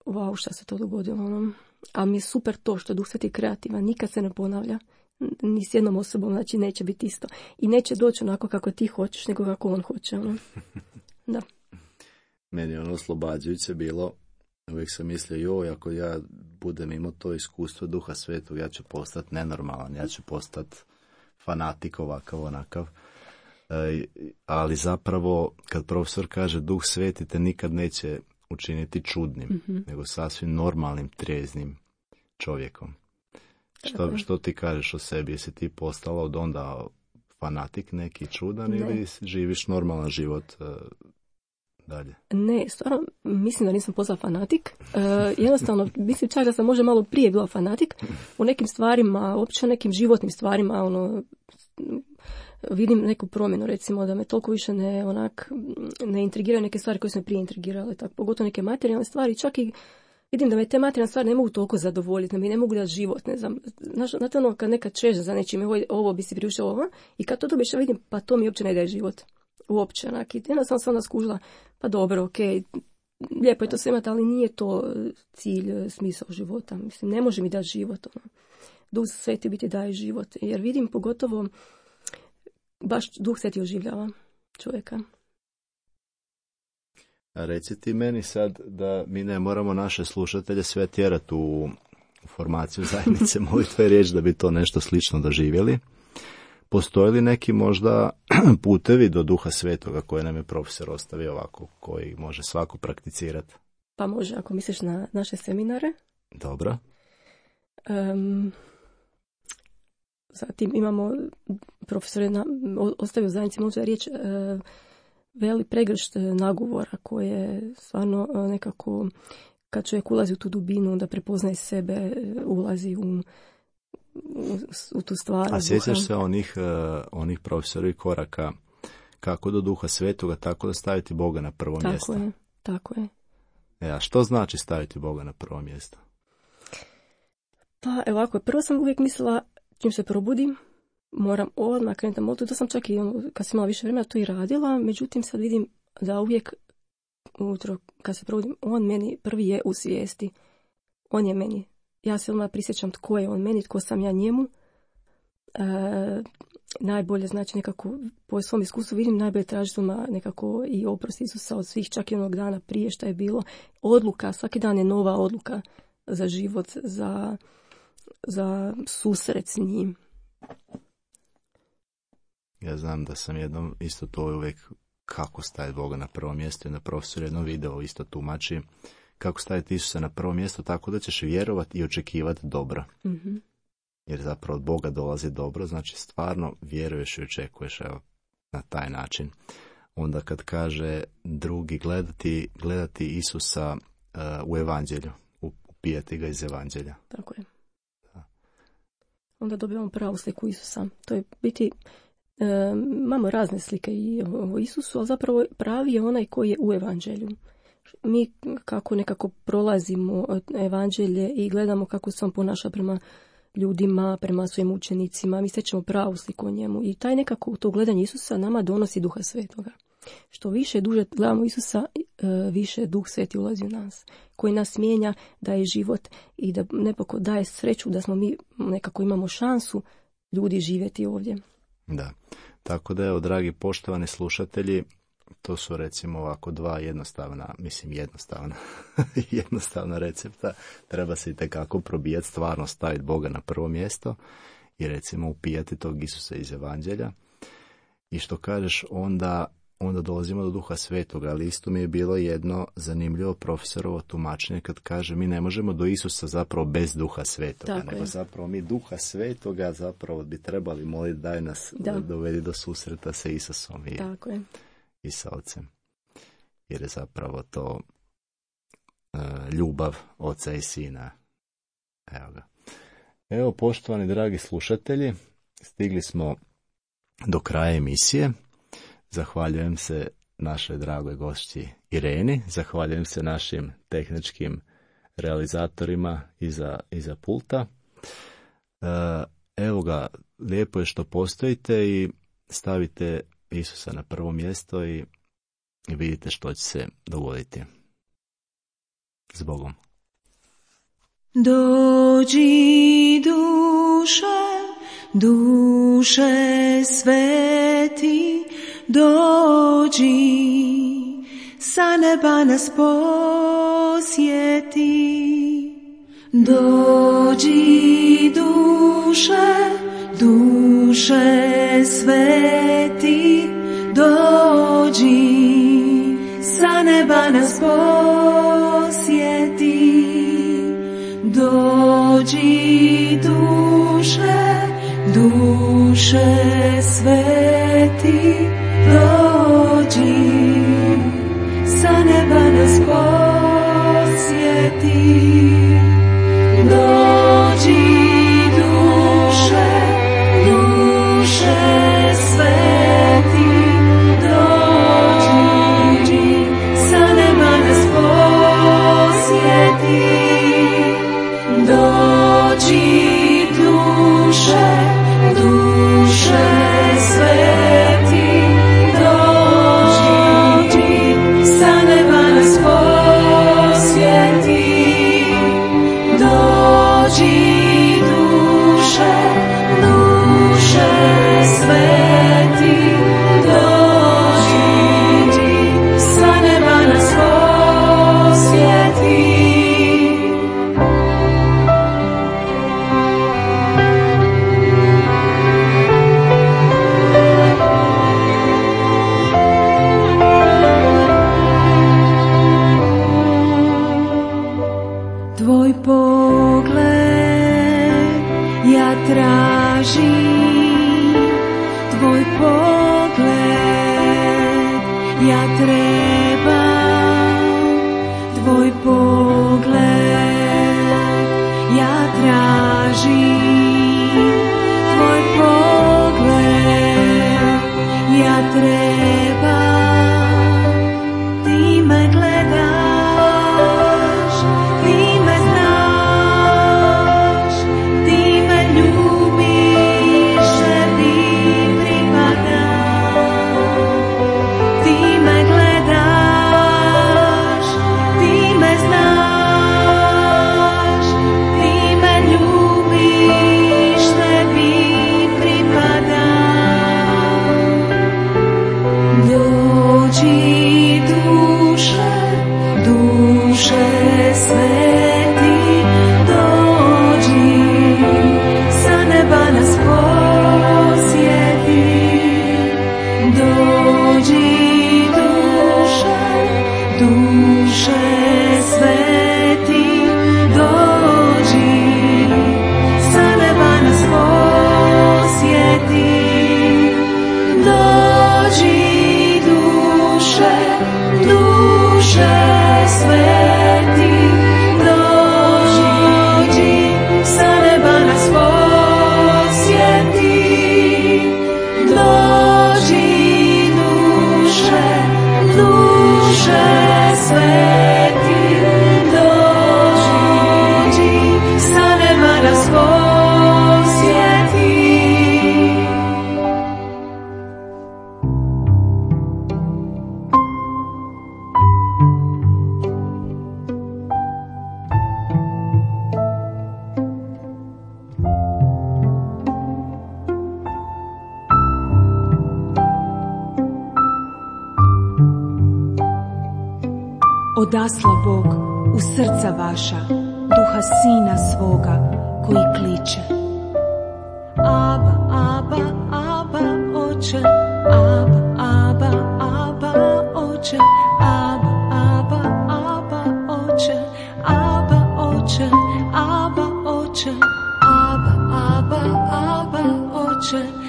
wow, šta se to dogodilo, ono. A mi je super to što je Duh Sveti kreativan, nikad se ne ponavlja, ni s jednom osobom, znači neće biti isto. I neće doći onako kako ti hoćeš, nego kako on hoće, ono. Da. Meni je ono oslobađajuće bilo, uvijek sam mislio, joj, ako ja budem imao to iskustvo Duha Svetog, ja ću postati nenormalan, ja ću postati fanatik ovakav, onakav. E, ali zapravo, kad profesor kaže Duh Sveti te nikad neće učiniti čudnim, mm-hmm. nego sasvim normalnim, trijeznim čovjekom. Što, što ti kažeš o sebi? Jesi ti postala od onda fanatik neki čudan ne. Ili živiš normalan život uh, dalje? Ne, stvarno mislim da nisam postala fanatik. Uh, jednostavno, mislim čak da sam možda malo prije bila fanatik. U nekim stvarima, uopće nekim životnim stvarima, ono, vidim neku promjenu, recimo, da me toliko više ne, onak, ne intrigiraju neke stvari koje su me prije intrigirale, tako, pogotovo neke materijalne stvari, čak i vidim da me te materijalne stvari ne mogu toliko zadovoljiti, da mi ne mogu dati život, ne znam, znate ono kad nekad čeže za nečim, ovo, ovo bi si priuštio ovo, i kad to dobiš, vidim, pa to mi uopće ne daje život, uopće, onak, i jednostavno sam onda skužila, pa dobro, okej, okay, lijepo je to sve imati, ali nije to cilj, smisao života, mislim, ne može mi dati život, ono. Duh Sveti biti daje život, jer vidim pogotovo baš Duh Sveti oživljava čovjeka. A reci ti meni sad da mi ne moramo naše slušatelje sve tjerati u formaciju zajednice molitve i riječ da bi to nešto slično doživjeli. Postoje li neki možda putevi do Duha Svetoga koje nam je profesor ostavio ovako, koji može svako prakticirati? Pa može, ako misliš na naše seminare. Dobro. Um, Zatim imamo, profesor je na, ostavio zajednici možda riječ, e, veli pregršt nagovora koje stvarno e, nekako, kad čovjek ulazi u tu dubinu, da prepoznaje sebe, ulazi u, u, u tu stvar. A sjećaš se onih, uh, onih profesorovih koraka kako do Duha Svetoga, tako da staviti Boga na prvo tako mjesto? Tako je, tako je. E, a što znači staviti Boga na prvo mjesto? Pa evo ovako, prvo sam uvijek mislila, čim se probudim, moram odmah krenuti na molitvu. To sam čak i ono, kad sam imala više vremena to i radila, međutim sad vidim da uvijek ujutro kad se probudim, on meni prvi je u svijesti. On je meni. Ja se odmah prisjećam tko je on meni, tko sam ja njemu. E, najbolje znači nekako po svom iskustvu vidim najbolje tražiti odmah nekako i oprost Isusa od svih, čak i onog dana prije šta je bilo. Odluka, svaki dan je nova odluka za život, za za susret s njim. Ja znam da sam jednom isto to uvijek kako staviti Boga na prvo mjesto i na profesor jedno video isto tumači kako staviti Isusa na prvo mjesto tako da ćeš vjerovati i očekivati dobro. Mm-hmm. Jer zapravo od Boga dolazi dobro, znači stvarno vjeruješ i očekuješ evo, na taj način. Onda kad kaže drugi gledati, gledati Isusa uh, u evanđelju, upijati ga iz evanđelja. Tako je. Onda dobivamo pravu sliku Isusa. To je biti, e, imamo razne slike i o Isusu, ali zapravo pravi je onaj koji je u evanđelju. Mi kako nekako prolazimo evanđelje i gledamo kako se on ponaša prema ljudima, prema svojim učenicima, mi stječemo pravu sliku o njemu. I taj nekako to gledanje Isusa nama donosi Duha Svetoga. Što više duže gledamo Isusa, više Duh Sveti ulazi u nas, koji nas mijenja, daje život i da nekako daje sreću da smo mi nekako imamo šansu ljudi živjeti ovdje. Da, tako da evo, dragi poštovani slušatelji, to su recimo ovako dva jednostavna, mislim jednostavna, jednostavna recepta. Treba se itekako probijati, stvarno staviti Boga na prvo mjesto i recimo upijati tog Isusa iz evanđelja. I što kažeš, onda onda dolazimo do Duha Svetoga, ali isto mi je bilo jedno zanimljivo profesorovo tumačenje kad kaže mi ne možemo do Isusa zapravo bez Duha Svetoga, Tako nego je. zapravo mi Duha Svetoga zapravo bi trebali moliti daj nas Da. dovedi do susreta sa Isusom i, Tako je. i sa Ocem. Jer je zapravo to uh, ljubav Oca i Sina. Evo ga. Evo, poštovani dragi slušatelji, stigli smo do kraja emisije. Zahvaljujem se našoj dragoj gošći Ireni, zahvaljujem se našim tehničkim realizatorima iza, iza pulta. Evo ga, lijepo je što postojite i stavite Isusa na prvo mjesto i vidite što će se dogoditi. S Bogom. Dođi duše, duše sveti, dođi, sa neba nas posjeti. Dođi duše, duše sveti, dođi, sa neba nas posjeti. Dođi duše, duše sveti, dođi, sa neba nas posjeti. Dođi duše, duše sveti, dođi, sa neba nas posjeti. Dođi duše, duše sveti, dođi, sa neba nas posjeti. Dođi duše, duše sveti, dođi, sa neba nas posjeti. Tvoj pogled ja tražim, tvoj pogled ja trebam, tvoj pogled ja tražim, tvoj pogled ja trebam, ti me gledaš, ti me znaš, ti me ljubiš, tebi pripadam. Ti me gledaš, ti me znaš, ti me ljubiš, tebi pripadam. Dođi duše, duše sveti, dođi, sa neba nas posjeti. Dođi duše, duše sveti, dođi, sa neba nas posjeti. Dođi duše, duše sveti, dođi, sa neba nas posjeti. Dođi duše, duše sveti, dođi, sa neba nas posjeti. Odasla Bog u srca vaša duha Sina svoga koji kliče. Aba, aba, aba, oče, aba, aba, aba. oče, Aba, Aba, Aba, oče, Aba, oče, Aba, oče, Aba, Aba, Aba, oče.